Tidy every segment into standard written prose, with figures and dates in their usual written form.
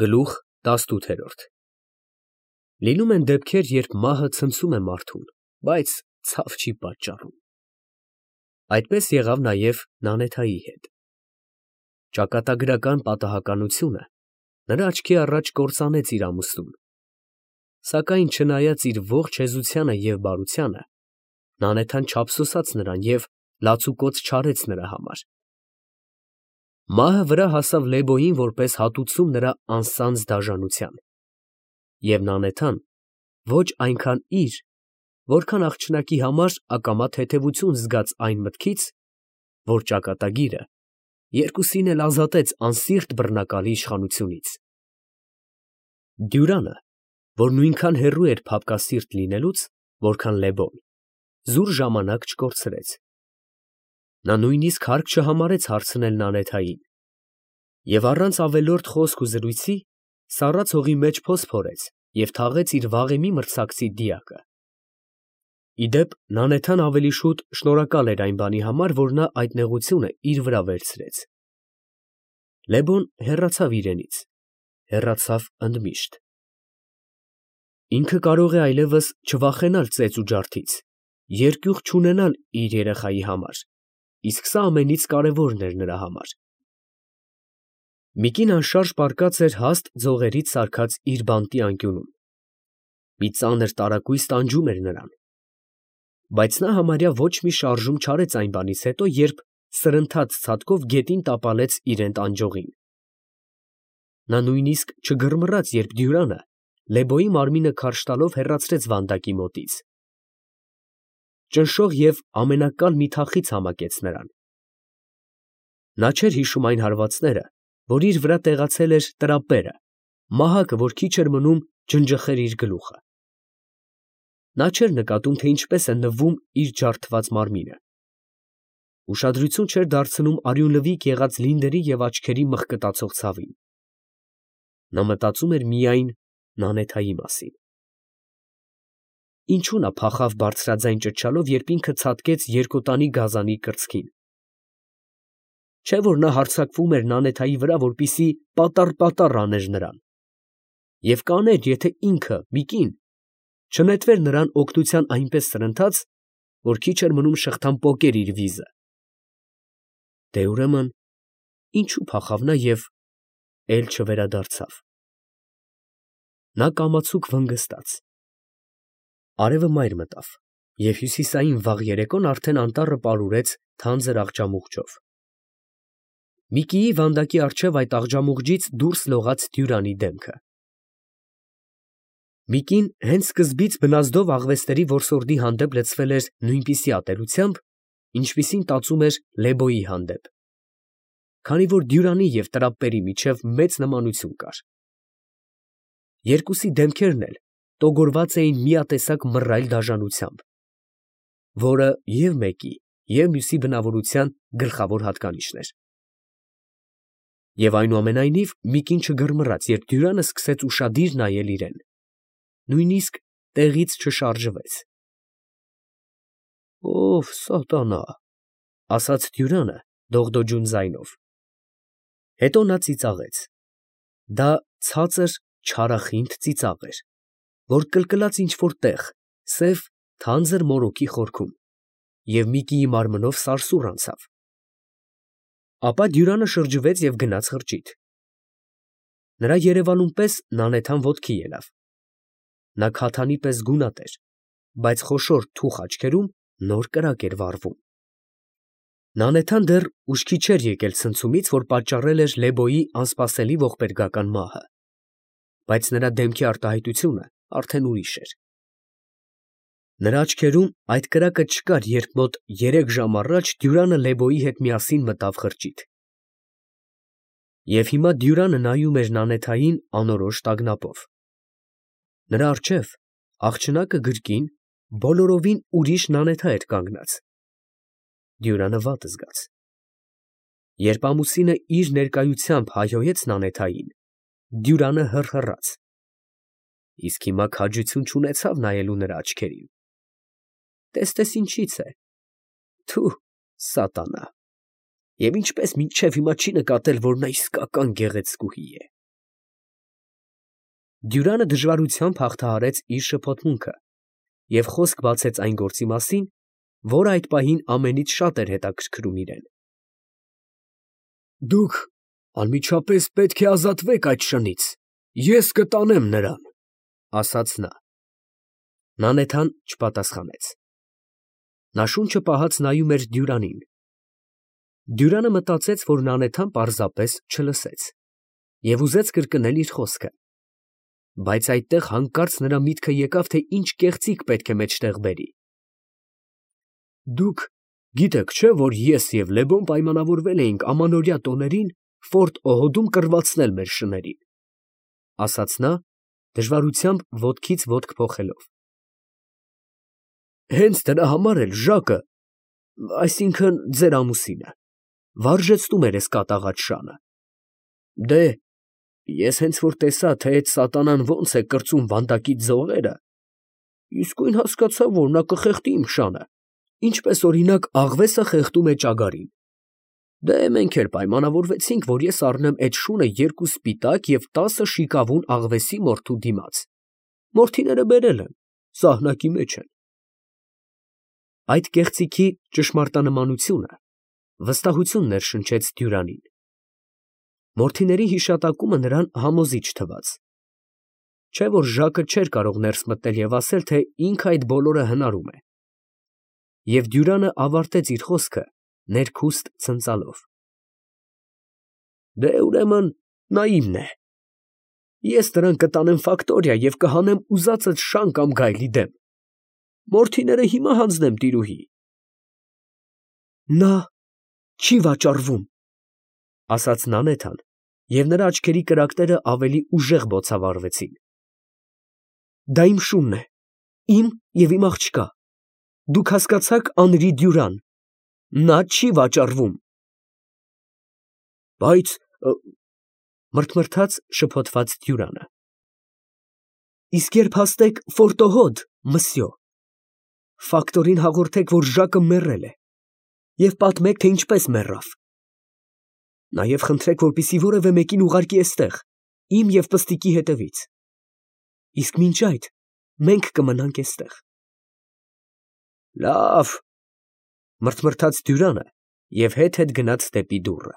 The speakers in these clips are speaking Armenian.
Գլուխ 18 Լինում են դեպքեր, երբ մահը ցնցում է մարդուն, բայց ցավ չի պատճառում. այդպես եղավ նաև Նանեթայի հետ. ճակատագրական պատահականությունը նրա աչքի առաջ կործանեց իր ամուսնուն, սակայն չնայած իր ողջ հեզությանը և բարությանը, Նանեթան չափսոսաց նրան և լացուկոծ չարեց նրա համար. մահը վրա հասավ Լեբոյին որպես հատուցում նրա անսանձ դաժանության, և Նանեթան ոչ այնքան իր, որքան աղջնակի համար ակամա թեթևություն զգաց այն մտքից, որ ճակատագիրը երկուսին էլ ազատեց անսիրտ բռնակալի իշխանությունից։ Դյուրանը, որ նույնքան հեռու էր փափկասիրտ լինելուց, որքան Լեբոն, զուր ժամանակ չկորցրեց. նա նույնիսկ հարկ չհամարեց հարցնել Նանեթային և առանց ավելորդ խոսք ու զրույցի սառած հողի մեջ փոս փորեց և թաղեց իր վաղեմի մրցակցի դիակը։ Ի դեպ, Նանեթան ավելի շուտ շնորհակալ էր այն բանի համար, որ նա այդ նեղությունը իր վրա վերցրեց։ Լեբոն հեռացավ իրենից, հեռացավ ընդմիշտ։ Ինքը կարող է այլևս չվախենալ ծեծ ու ջարդից, երկյուղ չունենալ իր երեխայի համար, իսկ սա ամենից կարևորն էր նրա համար։ մի կին անշարժ պառկած էր հաստ ձողերից սարքած իր բանտի անկյունում, մի ծանր տարակույս տանջում էր նրան, բայց նա համարյա ոչ մի շարժում չարեց այն բանից հետո, երբ սրընթաց ցատկով գետին տապալեց իրան տանջողին։ Նա նույնիսկ չգռմռաց, երբ Դյուրանը Լեբոյի մարմինը քարշ տալով հեռացրեց վանդակի մոտից, ճնշող և ամենակալ մի թախիծ համակեց նրան։ Նա չէր հիշում այն հարվածները, որ իր վրա տեղացել էր տրապերը, մահակը, որ քիչ էր մնում ջնջխեր իր գլուխը։ Նա չէր նկատում, թե ինչպես է նվում իր ջարդված մարմինը, ուշադրություն չէր դարձնում արյունլվիկ եղած լինների և աչքերի մղկտացող ցավին։ Նա մտածում էր միայն Նանեթայի մասին։ Ինչու նա փախավ բարձրաձայն ճչալով, երբ ինքը ցատկեց երկոտանի գազանի կրծքին։ Չէ՞ որ նա հարձակվում էր Նանեթայի վրա, որպեսզի պատառ աներ նրան, և կաներ, եթե ինքը մի կին չնետվեր նրան օգնության այնպես սրընթաց, որ քիչ էր մնում շղթան պոկեր իր վիզը։ Դե ուրեմն ինչու փախավ նա և էլ չվերադարձավ։ Նա կամացուկ վնգստաց։ Արևը մայր մտավ, և հյուսիսային վաղ երեկոն արդեն անտառը պարուրեց թանձր աղջամուղջով։ Մի կիի վանդակի առջև այդ աղջամուղջից դուրս լողաց Դյուրանի դեմքը։ մի կին հենց սկզբից բնազդով աղվեսների որսորդի հանդեպ լցվել էր նույնպիսի ատելությամբ, ինչպիսին տածում էր Լեբոյի հանդեպ, քանի որ Դյուրանի և տրապպերի միջև մեծ նմանություն կար։ Երկուսի դեմքերն էլ տոգորված էին միատեսակ մռայլ դաժանությամբ, որը և մեկի, և մյուսի բնավորության գլխավոր հատկանիշն էր։ Եվ այնուամենայնիվ մի կին չգռմռաց, երբ Դյուրանը սկսեց ուշադիր նայել իրան, նույնիսկ տեղից չշարժվեց։ «Ով սատանա», ֊ ասաց Դյուրանը դողդոջուն ձայնով։ Հետո նա ծիծաղեց։ Դա ցածր չարախինդ ծիծաղ էր, որ կլկլաց ինչ֊որ տեղ սև, թանձր մորուքի խորքում, և մի կիի մարմնով սարսուռ անցավ։ Ապա Դյուրանը շրջվեց և գնաց խրճիթ։ Նրա երևանուն պես Նանեթան ոտքի ելավ։ Նա քաթանի պես գունատ էր, բայց խոշոր թուխ աչքերում նոր կրակ էր վառվում։ Նանեթան դեռ ուշքի չէր եկել ցնցումից, որ պատճառել էր Լեբոյի անսպասելի ողբերգական մահը, բայց նրա դեմքի արտահայտությունը արդեն ուրիշ էր։ Նրա աչքերում այդ կրակը չկար, երբ մոտ 3 ժամ առաջ Դյուրանը Լեբոյի հետ միասին մտավ խրճիթ։ Եվ հիմա Դյուրանը նայում էր Նանեթային անորոշ տագնապով։ Նրա առջև, աղջնակը գրկին, բոլորովին ուրիշ Նանեթա էր կանգնած։ Դյուրանը վատ զգաց։ Երբ ամուսինը իր ներկայությամբ հայհոյեց Նանեթային, Դյուրանը հռհռաց, իսկ հիմա քաջություն չունեցավ նայելու նրա աչքերին։ Տես ինչից է. թո՛ւ, սատանա, և ինչպես մինչև հիմա չի նկատել, որ նա իսկական գեղեցկուհի է։ Դյուրանը դժվարությամբ հաղթահարեց իր շփոթմունքը և խոսք բացեց այն գործի մասին, որը այդ պահին ամենից շատ էր հետաքրքրում իրեն։ Դուք անմիջապես պետք է ազատվեք այդ շնից, ես կտանեմ նրան, ասաց նա։ Նանեթան չպատասխանեց։ Նա շունչը պահած նայում էր Դյուրանին։ Դյուրանը մտածեց, որ Նանեթան պարզապես չլսեց և ուզեց կրկնել իր խոսքը, բայց այդտեղ հանկարծ նրա միտքը եկավ, թե ինչ կեղծիք պետք է մեջտեղ բերի։ Դուք գիտեք, չէ՞, որ ես և Լեբոն պայմանավորվել էինք ամանորյա տոներին Ֆորտ Օհոդում կռվածնել մեր շներին, ասաց նա, դժվարությամբ ոտքից ոտք փոխելով։ Հենց դրա համար էլ Ժակը, այսինքն ձեր ամուսինը, վարժեցնում էր էս կատաղած շանը։ Դե, ես հենց որ տեսա, թե այդ սատանան ոնց է կրծում վանդակի ձողերը, իսկույն հասկացա, որ նա կխեղդի իմ շանը, ինչպես օրինակ աղվեսը խեղդում է ճագարին։ Դե մենք էլ պայմանավորվեցինք, որ ես առնեմ այդ շունը 2 սպիտակ և 10 շիկավուն աղվեսի մորթու դիմաց։ Մորթիները բերել են, սահնակի մեջ են։ Այդ կեղծիքի ճշմարտանմանությունը վստահություն ներշնչեց Դյուրանին։ Մորթիների հիշատակումը նրան համոզիչ թվաց։ Չէ՞ որ Ժակը չէր կարող ներս մտնել և ասել, թե ինքը այդ բոլորը հնարում է։ Եվ Դյուրանը ավարտեց իր խոսքը ներքուստ ցնծալով։ Դե ուրեմն նա իմն է։ Ես նրան կտանեմ ֆակտորիա և կհանեմ ուզածդ շան կամ գայլի դեմ։ Մորթիները հիմա հանձնեմ տիրուհի։ Նա չի վաճառվում, ասաց Նանեթան, և նրա աչքերի կրակները ավելի ուժեղ բոցավառվեցին։ Դա իմ շունն է, իմ և իմ աղջկա։ Դուք հասկացա՞ք Անրի Դյուրան, նա չի վաճառվում։ Բայց, մրթմրթաց շփոթված Դյուրանը։ Իսկ երբ հասնեք Ֆորտ Օհոդ, մսյո, ֆակտորին հաղորդեք, որ Ժակը մեռել է, և պատմեք, թե ինչպես մեռավ։ Նաև խնդրեք, որպեսզի որևէ մեկին ուղարկի էստեղ, իմ և պստիկի հետևից։ Իսկ մինչ այդ մենք կմնանք էստեղ։ Լավ, մրթմրթաց Դյուրանը և հետ գնաց դեպի դուռը։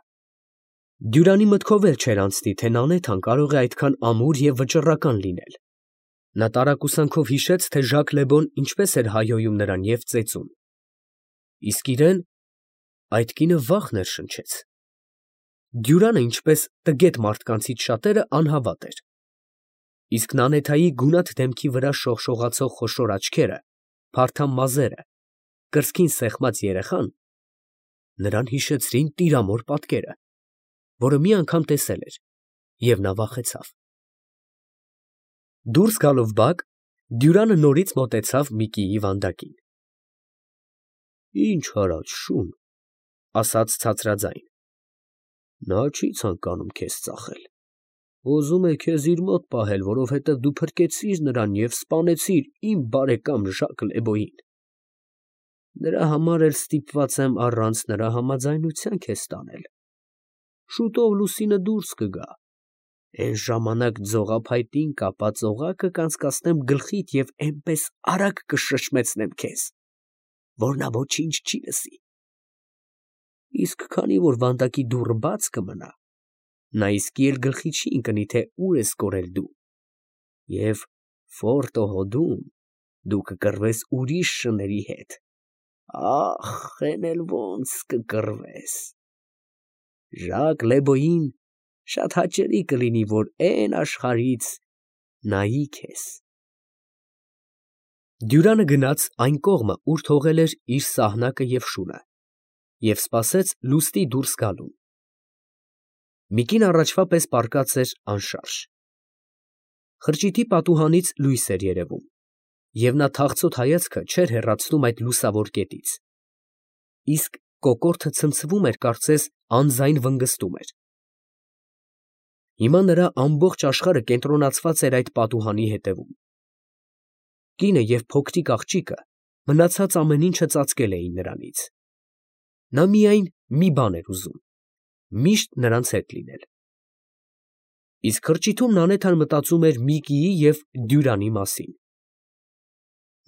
Դյուրանի մտքով էլ չէր անցնի, թե Նանեթան կարող է այդքան ամուր և վճռական լինել։ Նա տարակուսանքով հիշեց, թե Ժակ Լեբոն ինչպես էր հայհոյում նրան և ծեծում։ Իսկ իրեն այդ կինը վախ ներշնչեց։ Դյուրանը, ինչպես տգետ մարդկանցից շատերը, անհավատ էր։ Իսկ Նանեթայի գունատ դեմքի վրա շողշողացող խոշոր աչքերը, փարթամ մազերը, կրծքին սեղմած երեխան նրան հիշեցրին տիրամոր պատկերը, որը մի անգամ տեսել էր, և նա վախեցավ։ Դուրս գալով բակ, Դյուրանը նորից մոտեցավ Միկիի վանդակին։ Ինչ արած շուն, ասաց ցածրաձայն։ Նա չի ցանկանում քեզ ծախել։ Ուզում է քեզ իր մոտ պահել, որովհետև դու փրկեցիր նրան և սպանեցիր իմ բարեկամ Ժակ Լեբոյին։ Դրա համար էլ ստիպված եմ առանց նրա համաձայնության քեզ տանել։ Շուտով լուսինը դուրս կգա։ Այն ժամանակ ձողափայտին կապած օղակը կանցկացնեմ գլխիդ և էնպես արագ կշշմեցնեմ քեզ, որ նա ոչինչ չի լսի։ Իսկ քանի որ վանդակի դուռը բաց կմնա, նա իսկի էլ գլխի չի ընկնի, թե ուր ես կորել դու, և Ֆորտ Օհոդում դու կկռվես ուրիշ շների հետ։ Ախ, էն էլ ոնց կկռվես։ Ժակ Լեբոյին շատ հաճելի կլինի, որ էն աշխարհից նայի քեզ։ Դյուրանը գնաց այն կողմը, ուր թողել էր իր սահնակը և շունը, և սպասեց լուսնի դուրս գալուն։ Միկին առաջվա պես պառկած էր անշարժ։ Խրճիթի պատուհանից լույս էր երևում, և նա թախծոտ հայացքը չէր հեռացնում այդ լուսավոր կետից։ Իսկ կոկորդը ցնցվում էր, կարծես անձայն վնգստում էր։ Հիմա նրա ամբողջ աշխարհը կենտրոնացված էր այդ պատուհանի հետևում։ Կինը և փոքրիկ աղջիկը մնացած ամեն ինչը ծածկել էին նրանից։ Նա միայն մի բան էր ուզում՝ միշտ նրանց հետ լինել։ Իսկ խրճիթում Նանեթան մտածում էր Միկիի և Դյուրանի մասին։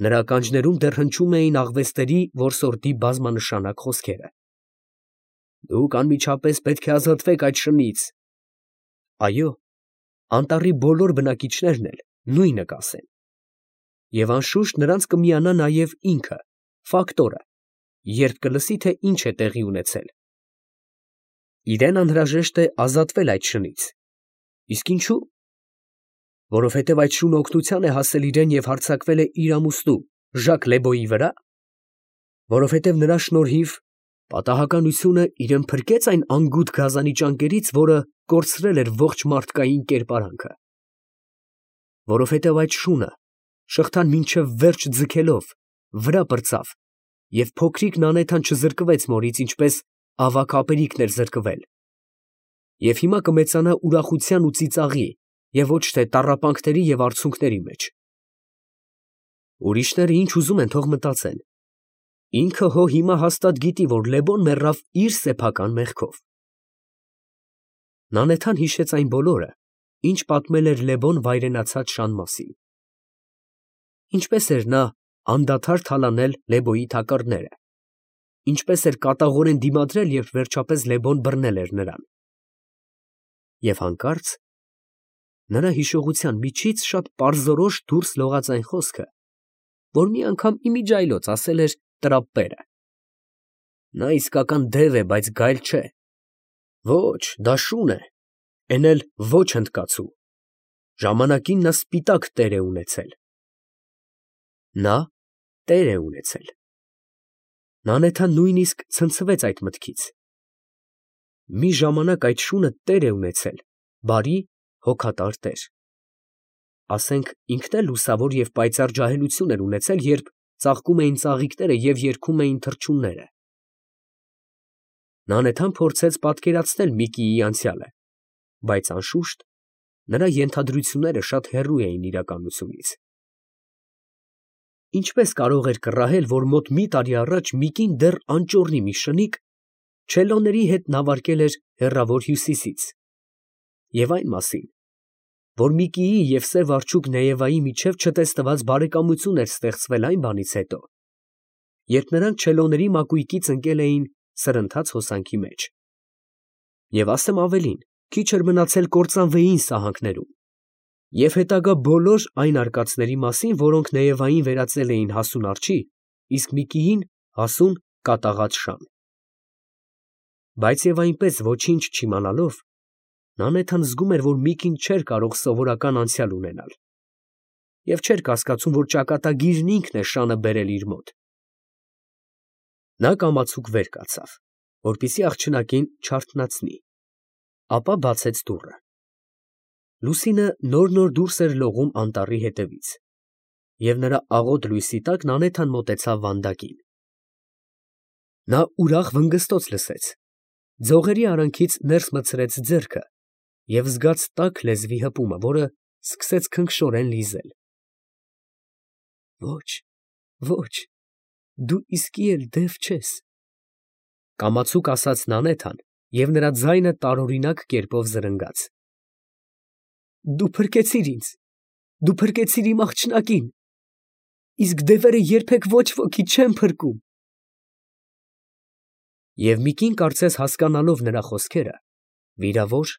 Նրա ականջներում դեռ հնչում էին աղվեստերի որսորդի բազմանշանակ խոսքերը. «Դուք անմիջապես պետք է ազատվեք այդ շնից»։ Այո, անտառի բոլոր բնակիչներն էլ նույնը կասեն։ Եվ անշուշտ նրանց կմիանա նաև ինքը, Ֆակտորը, երբ կլսի, թե ինչ է տեղի ունեցել։ Իրեն անհրաժեշտ է ազատվել այդ շնից։ Իսկ ինչու՞։ Որովհետև այդ շունը օգնության է հասել իրեն և հարձակվել է իր ամուսնու Ժակ Լեբոյի վրա։ Որովհետև նրա շնորհիվ պատահականությունը իրեն փրկեց այն անգութ գազանի ճանկերից, որը կորցրել էր ողջ մարդկային կերպարանքը։ Որովհետև այդ շունը շղթան մինչև վերջ ձգելով վրա պրծավ, և փոքրիկ Նանեթան չզրկվեց մորից, ինչպես ավագ ապերիկն էր զրկվել, և հիմա կմեծանա ուրախության ու ծիծաղի և ոչ թե տառապանքների և արցունքների մեջ։ Ուրիշները ինչ ուզում են, թող մտածեն։ Ինքը հո հիմա հաստատ գիտի, որ Լեբոն մեռավ իր սեփական մեղքով։ Նանեթան հիշեց այն բոլորը, ինչ պատմել էր Լեբոն վայրենացած շան մասին։ Ինչպես էր նա անդադար թալանել Լեբոյի թակարդները, ինչպես էր կատաղորեն դիմադրել, երբ վերջապես Լեբոն բռնել էր նրան։ Եվ հանկարծ նրա հիշողության միջից շատ պարզորոշ դուրս լողաց այն խոսքը, որ մի անգամ իմիջիայլոց ասել էր տրապպերը. «Նա իսկական դև է, բայց գայլ չէ։ Ոչ, դա շուն է, էն էլ ոչ հնդկացու։ Ժամանակին նա սպիտակ տեր է ունեցել»։ Նա տեր է ունեցել։ Նանեթան նույնիսկ ցնցվեց այդ մտքից։ Մի ժամանակ այդ շունը տեր է ունեցել, բարի, հոգատար տեր։ Ասենք ինքն էլ լուսավոր և պայծառ ջահելություն էր ունեցել, երբ ծաղկում էին ծաղիկները և երգում էին թռչունները։ Նանեթան փորձեց պատկերացնել Միկիի անցյալը, բայց անշուշտ նրա ենթադրությունները շատ հեռու էին իրականությունից։ Ինչպես կարող էր կռահել, որ մոտ մի տարի առաջ Միկին դեռ անճոռնի մի շնիկ չելոների հետ նավարկել էր հեռավոր Հյուսիսից, և այն մասին, որ Միկիի և սև արջուկ Նեևայի միջև չտեսնված բարեկամություն էր ստեղծվել այն բանից հետո, երբ նրանք չելոների մակույկից ընկել էին սրընթաց հոսանքի մեջ։ Եվ ասեմ ավելին, քիչ էր մնացել կործանվեին սահանքներում, և հետագա բոլոր այն արկածների մասին, որոնք Նեևային վերածել էին հասուն արջի, իսկ Միկիին հասուն կատաղած շան։ Բայց և այնպես ոչինչ չիմանալով, Նանեթան զգում էր, որ Միկին չէր կարող սովորական անցյալ ունենալ, և չէր կասկածում, որ ճակատագիրն ինքն է շանը բերել իր մոտ։ Նա կամացուկ վեր կացավ, որպեսզի աղջնակին չարթնացնի, ապա բացեց դուռը։ Լուսինը նոր֊նոր դուրս էր լողում անտառի ետևից, և նրա աղոտ լույսի տակ Նանեթան մոտեցավ վանդակին։ Նա ուրախ վնգստոց լսեց, ձողերի արանքից ներս մտցրեց ձեռքը և զգաց տաք լեզվի հպումը, որը սկսեց քնքշորեն լիզել։ Ոչ, ոչ, դու իսկի էլ դև չես, կամացուկ ասաց Նանեթան, և նրա ձայնը տարօրինակ կերպով զրնգաց։ Դու փրկեցիր ինձ, դու փրկեցիր իմ աղջնակին, իսկ դևերը երբեք ոչ ոքի չեն փրկում։ Եվ Միկին, կարծես հասկանալով նրա խոսքերը, վիրավոր,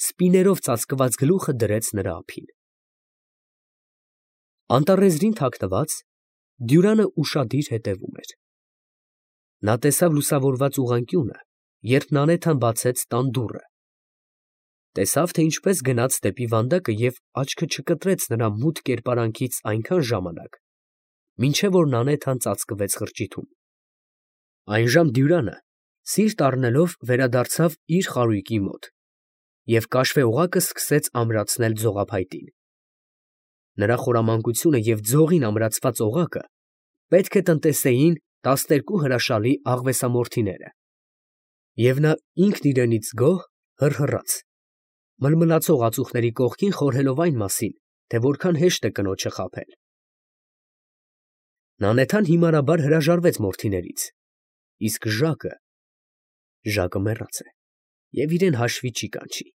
սպիներով ծածկված գլուխը դրեց նրա ափին։ Անտառեզրին թաքնված, Դյուրանը ուշադիր հետևում էր։ Նա տեսավ լուսավորված ուղղանկյունը, երբ Նանեթան բացեց տան դուռը։ Տեսավ, թե ինչպես գնաց դեպի վանդակը և աչքը չկտրեց նրա մութ կերպարանքից այնքան ժամանակ, մինչև որ Նանեթան ծածկվեց խրճիթում։ Այնժամ Դյուրանը, սիրտ առնելով, վերադարձավ իր խարույկի մոտ և կաշվե օղակը սկսեց ամրացնել ձողափայտին։ Նրա խորամանկությունը և ձողին ամրացված օղակը պետք է տնտեսեին 12 հրաշալի աղվեսամորթիները։ Եվ նա ինքն իրենից գոհ հռհռաց, մլմլացող ածուխների կողքին խորհելով այն մասին, թե որքան հեշտ է կնոջը խաբել։ Նանեթան հիմարաբար հրաժարվեց մորթիներից, իսկ Ժակը մեռած է և իրեն հաշվի չի կանչի։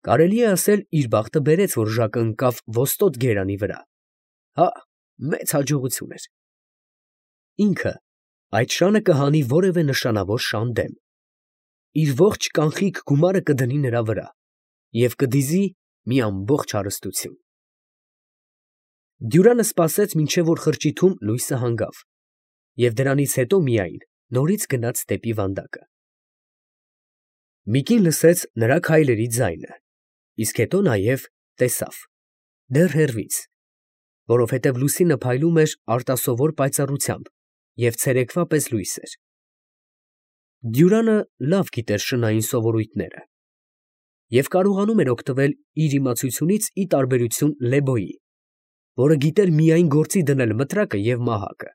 Կարելի է ասել, իր բախտը բերեց, որ Ժակը ընկավ ոստոտ գերանի վրա։ Հա, մեծ հաջողություն էր։ Ինքը այդ շանը կհանի որևէ նշանավոր շան դեմ։ Իր ողջ կանխիկ գումարը կդնի նրա վրա և կդիզի մի ամբողջ հարստություն։ Դյուրանը սպասեց, մինչև որ խրճիթում լույսը հանգավ, և դրանից հետո միայն նորից գնաց դեպի վանդակը։ Միկին լսեց նրա քայլերի ձայնը, իսկ հետո նաև տեսավ, դեռ հեռվից, որովհետև լուսինը փայլում էր արտասովոր պայծառությամբ և ցերեկվա պես լույս էր։ Դյուրանը լավ գիտեր շնային սովորույթները և կարողանում էր օգտվել իր իմացությունից ի տարբերություն Լեբոյի, որը գիտեր միայն գործի դնել մտրակը և մահակը։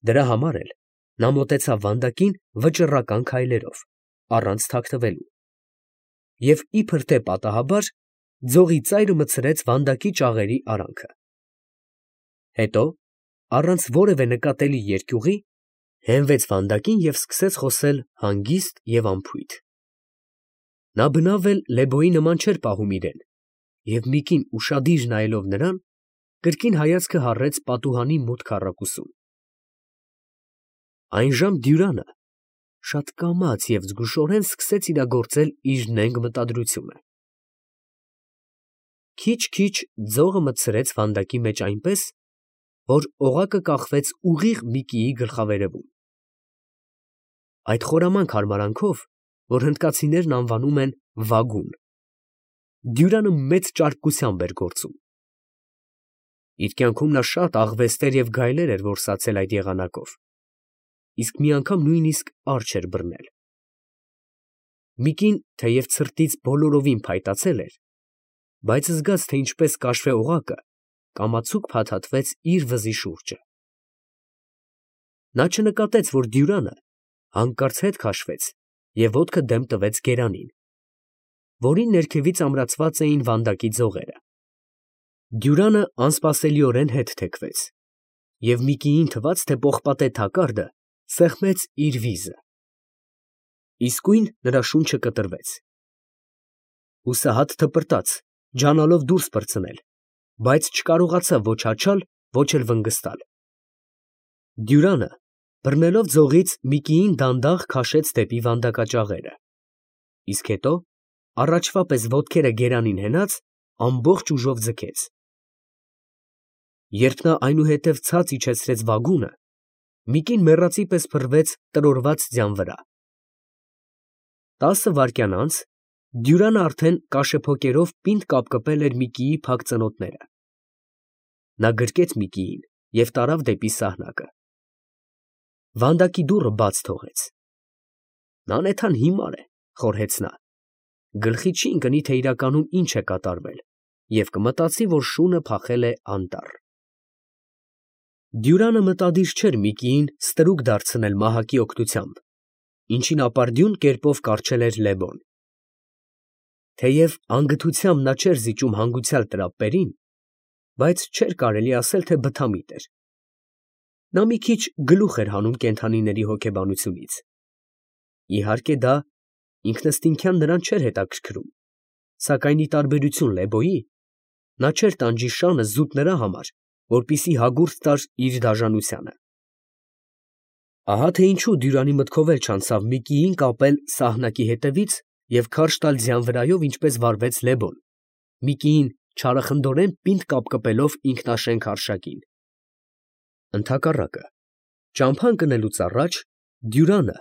Դրա համար էլ նա մոտեցավ վանդակին վճռական քայլերով, առանց թաքնվելու, և իբր թե պատահաբար ձողի ծայրը մտցրեց վանդակի ճաղերի արանքը։ Հետո, առանց որևէ նկատելի երկյուղի, հենվեց վանդակին և սկսեց խոսել հանգիստ և անփույթ։ Նա բնավ էլ Լեբոյի նման չէր պահում իրեն, և Միկին ուշադիր նայելով նրան, կրկին հայացքը հառեց պատուհանի մութ քառակուսուն։ Այնժամ Դյուրանը շատ կամաց և զգուշորեն սկսեց իրագործել իր նենգ մտադրությունը։ Քիչ֊քիչ ձողը մտցրեց վանդակի մեջ այնպես, որ օղակը կախվեց ուղիղ Միկիի գլխավերևում։ Այդ խորամանկ հարմարանքով, որ հնդկացիներն անվանում են վագուն, Դյուրանը մեծ ճարպկությամբ էր գործում։ Իր կյանքում նա շատ աղվեստներ և գայլեր էր որսացել այդ եղանակով, իսկ մի անգամ նույնիսկ արջ էր բռնել։ Միկին թեև ցրտից բոլորովին փայտացել էր, բայց զգաց, թե ինչպես կաշվե օղակը կամացուկ փաթաթվեց իր վզի շուրջը։ Նա չնկատեց, որ Դյուրանը հանկարծ հետ քաշվեց և ոտքը դեմ տվեց գերանին, որի ներքևից ամրացված էին վանդակի ձողերը։ Դյուրանը անսպասելիորեն հետ թեքվեց, և Միկիին թվաց, թե պողպատե թակարդը սեղմեց իր վիզը։ Իսկույն նրա շունչը կտրվեց։ Հուսահատ թպրտաց, ջանալով դուրս պրծնել, բայց չկարողացավ ոչ հաչալ, ոչ էլ վնգստալ։ Դյուրանը, բռնելով ձողից, Միկիին դանդաղ քաշեց դեպի վանդակաճաղերը, իսկ հետո, առաջվա պես ոտքերը գերանին հենած, ամբողջ ուժով ձգեց։ Երբ նա այնուհետև ցած իջեցրեց վագունը, Միկին մեռածի պես փռվեց տրորված ձյան վրա։ 10 վայրկյան անց Դյուրանը արդեն կաշեփոկերով պինդ կապկպել էր Միկիի փակ ծնոտները։ Նա գրկեց Միկիին և տարավ դեպի սահնակը։ Վանդակի դուռը բաց թողեց։ «Նա նեթան հիմար է», խորհեց նա, «գլխի չի ընկնի, թե իրականում ինչ է կատարվել, և կմտածի, որ շունը փախել է անտառ»։ Դյուրանը մտադիր չէր Միկիին ստրուկ դարձնել մահակի օգնությամբ, ինչին ապարդյուն կերպով կառչել էր Լեբոն։ Թեև անգթությամբ նա չէր զիջում հանգուցյալ տրապերին, բայց չէր կարելի ասել, թե բթամիտ էր։ Նա մի քիչ գլուխ էր հանում կենդանիների հոգեբանությունից։ Իհարկե դա ինքնըստինքյան նրան չէր հետաքրքրում, սակայն ի տարբերություն Լեբոյի, նա չէր տանջի շանը զուտ նրա համար, որպեսզի հագուրդ տար իր դաժանությանը։ Ահա թե ինչու Դյուրանի մտքով էլ չանցավ Միկիին կապել սահնակի հետևից և քարշ տալ ձյան վրայով, ինչպես վարվեց Լեբոն, Միկիին չարախնդորեն պինդ կապկպելով ինքնաշենք արշակին։ Ընդհակառակը, ճամփա ընկնելուց առաջ Դյուրանը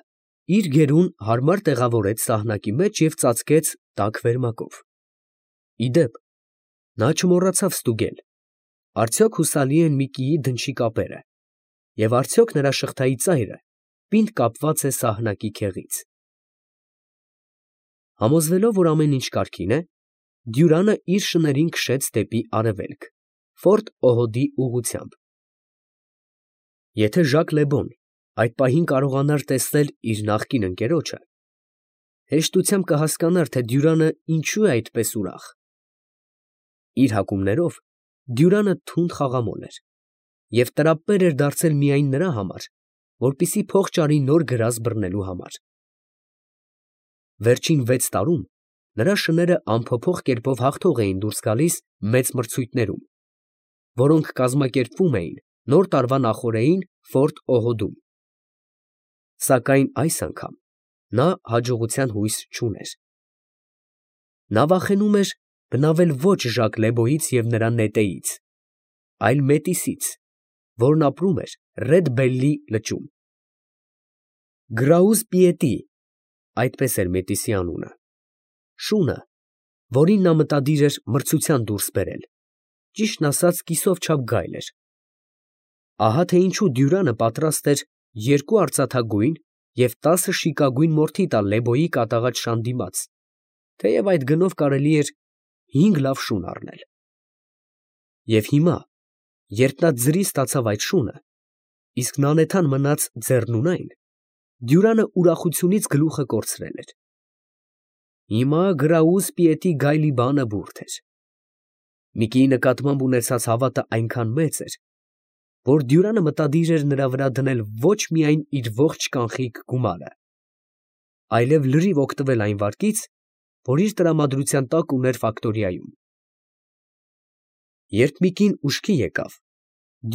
իր գերուն հարմար տեղավորեց սահնակի մեջ և ծածկեց տաք վերմակով։ Ի դեպ, նա չմոռացավ ստուգել, արդյոք հուսալի են Միկիի դնչի կապերը, և արդյոք նրա շղթայի ծայրը պինդ կապված է սահնակի քեղից։ Համոզվելով, որ ամեն ինչ կարգին է, Դյուրանը իր շներին քշեց դեպի արևելք, Ֆորտ Օհոդի ուղղությամբ։ Եթե Ժակ Լեբոն այդ պահին կարողանար տեսնել իր նախկին ընկերոջը, հեշտությամբ կհասկանար, թե Դյուրանը ինչու է այդպես ուրախ։ Իր հակումներով Դյուրանը թունդ խաղամոլ էր և տրապպեր էր դարձել միայն նրա համար, որպեսզի փող ճարի նոր գրազ բռնելու համար։ Վերջին 6 տարում Նրա շները անփոփոխ կերպով հաղթող էին դուրս գալիս մեծ մրցույթներում, որոնք կազմակերպվում էին նոր տարվա նախօրեին Ֆորտ Օհոդում։ Սակայն այս անգամ նա հաջողության հույս չուներ։ Նա վախենում էր բնավել ոչ Ժակ Լեբոյից և նրա նետեից, այլ Մետիսից, որն ապրում էր Ռեդ Բելլի լճում։ Գրաուզ Պիետի, այդպես էր Մետիսի անունը, շունը, որին նա մտադիր էր մրցության դուրս բերել, ճիշտն ասած կիսով չափ գայլ էր։ Ահա թե ինչու Դյուրանը պատրաստ էր 2 արծաթագույն և 10 շիկագույն մորթի տալ Լեբոյի կատաղած շան դիմաց, թեև այդ գնով կարելի էր 5 լավ շուն առնել։ Եվ հիմա, երբ նա ձրի ստացավ այդ շունը, իսկ նանեթան մնաց ձեռնունայն, Դյուրանը ուրախությունից գլուխը կորցրել էր։ Հիմա Գրաուզ Պիետի գայլի բանը բուրդ էր։ Միկիի նկատմամբ ունեցած հավատը այնքան մեծ էր, որ Դյուրանը մտադիր էր նրա վրա դնել ոչ միայն իր ողջ կանխիկ գումարը, այլև լրիվ օգտվել այն վարկից, որ իր տրամադրության տակ ուներ ֆակտորիայում։ Երբ Միկին ուշքի եկավ,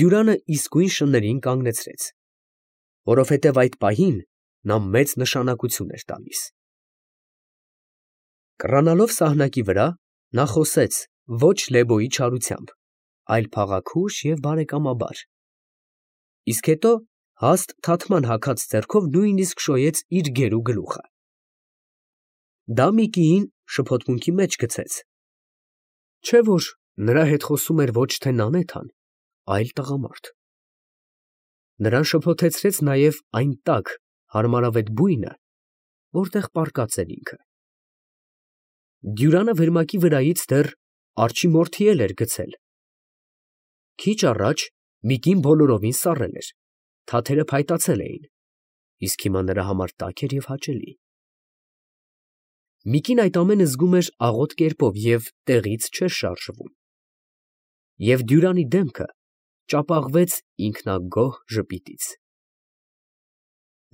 Դյուրանը իսկույն շներին կանգնեցրեց, որովհետև այդ պահին նա մեծ նշանակություն էր տալիս։ Կռանալով սահնակի վրա, նա խոսեց ոչ Լեբոյի չարությամբ, այլ փաղաքուշ և բարեկամաբար, իսկ հետո հաստ թաթման հագած ձեռքով նույնիսկ շոյեց իր գերու գլուխը։ Դա Միկիին շփոթմունքի մեջ գցեց, չէ՞ որ նրա հետ խոսում էր ոչ թե Նանեթան, այլ տղամարդ։ Նրան շփոթեցրեց նաև այն տաք, հարմարավետ բույնը, որտեղ պառկած էր ինքը։ Դյուրանը վերմակի վրայից դեռ արջի մորթի էլ էր գցել։ Քիչ առաջ Միկին բոլորովին սառել էր, թաթերը փայտացել էին, իսկ հիմա նրա համար տաք էր և հաճելի։ Միկին այդ ամենը զգում էր աղոտ կերպով և տեղից չէր շարժվում։ Եվ Դյուրանի դեմքը ճապաղվեց ինքնագոհ ժպիտից։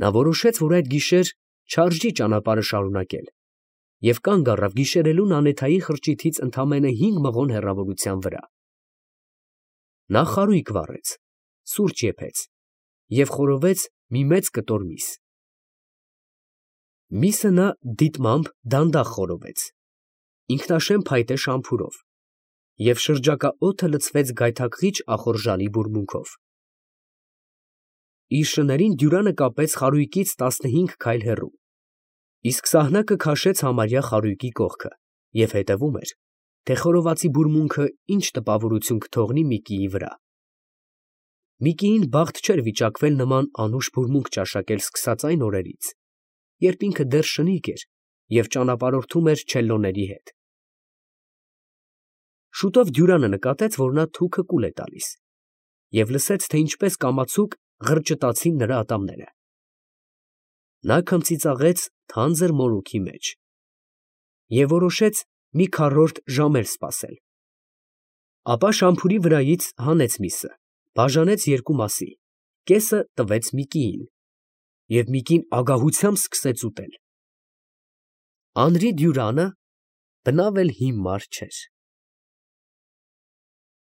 Նա որոշեց, որ այդ գիշեր չարժի ճանապարհը շարունակել և կանգ առավ գիշերելու Նանեթայի խրճիթից ընդամենը 5 մղոն հեռավորության վրա։ Նա խարույկ վառեց, սուրճ եփեց և խորովեց մի մեծ կտոր միս։ Միսը նա դիտմամբ դանդաղ խորովեց, ինքնաշեն փայտե շամփուրով, և շրջակա օդը լցվեց գայթակղիչ ախորժալի բուրմունքով։ Իր շներին Դյուրանը կապեց խարույկից 15 քայլ հեռու, իսկ սահնակը քաշեց համարյա խարույկի կողքը և հետևում էր, թե խորովածի բուրմունքը ինչ տպավորություն կթողնի Միկիի վրա։ Միկիին բախտ չէր վիճակվել նման անուշ բուրմունք ճաշակել սկսած այն օրերից, երբ ինքը դեռ շնիկ էր և ճանապարհորդում էր չելլոների հետ։ Շուտով Դյուրանը նկատեց, որ նա թուքը կուլ է տալիս, և լսեց, թե ինչպես կամացուկ ղրճտացին նրա ատամները։ Նա քմծիծաղեց թանձր մորուքի մեջ և որոշեց մի քառորդ ժամ էլ սպասել։ Ապա շամփուրի վրայից հանեց միսը, բաժանեց 2 մասի, կեսը տվեց Միկիին, և Միկին ագահությամբ սկսեց ուտել։ Անրի Դյուրանը բնավ էլ հիմար չէր։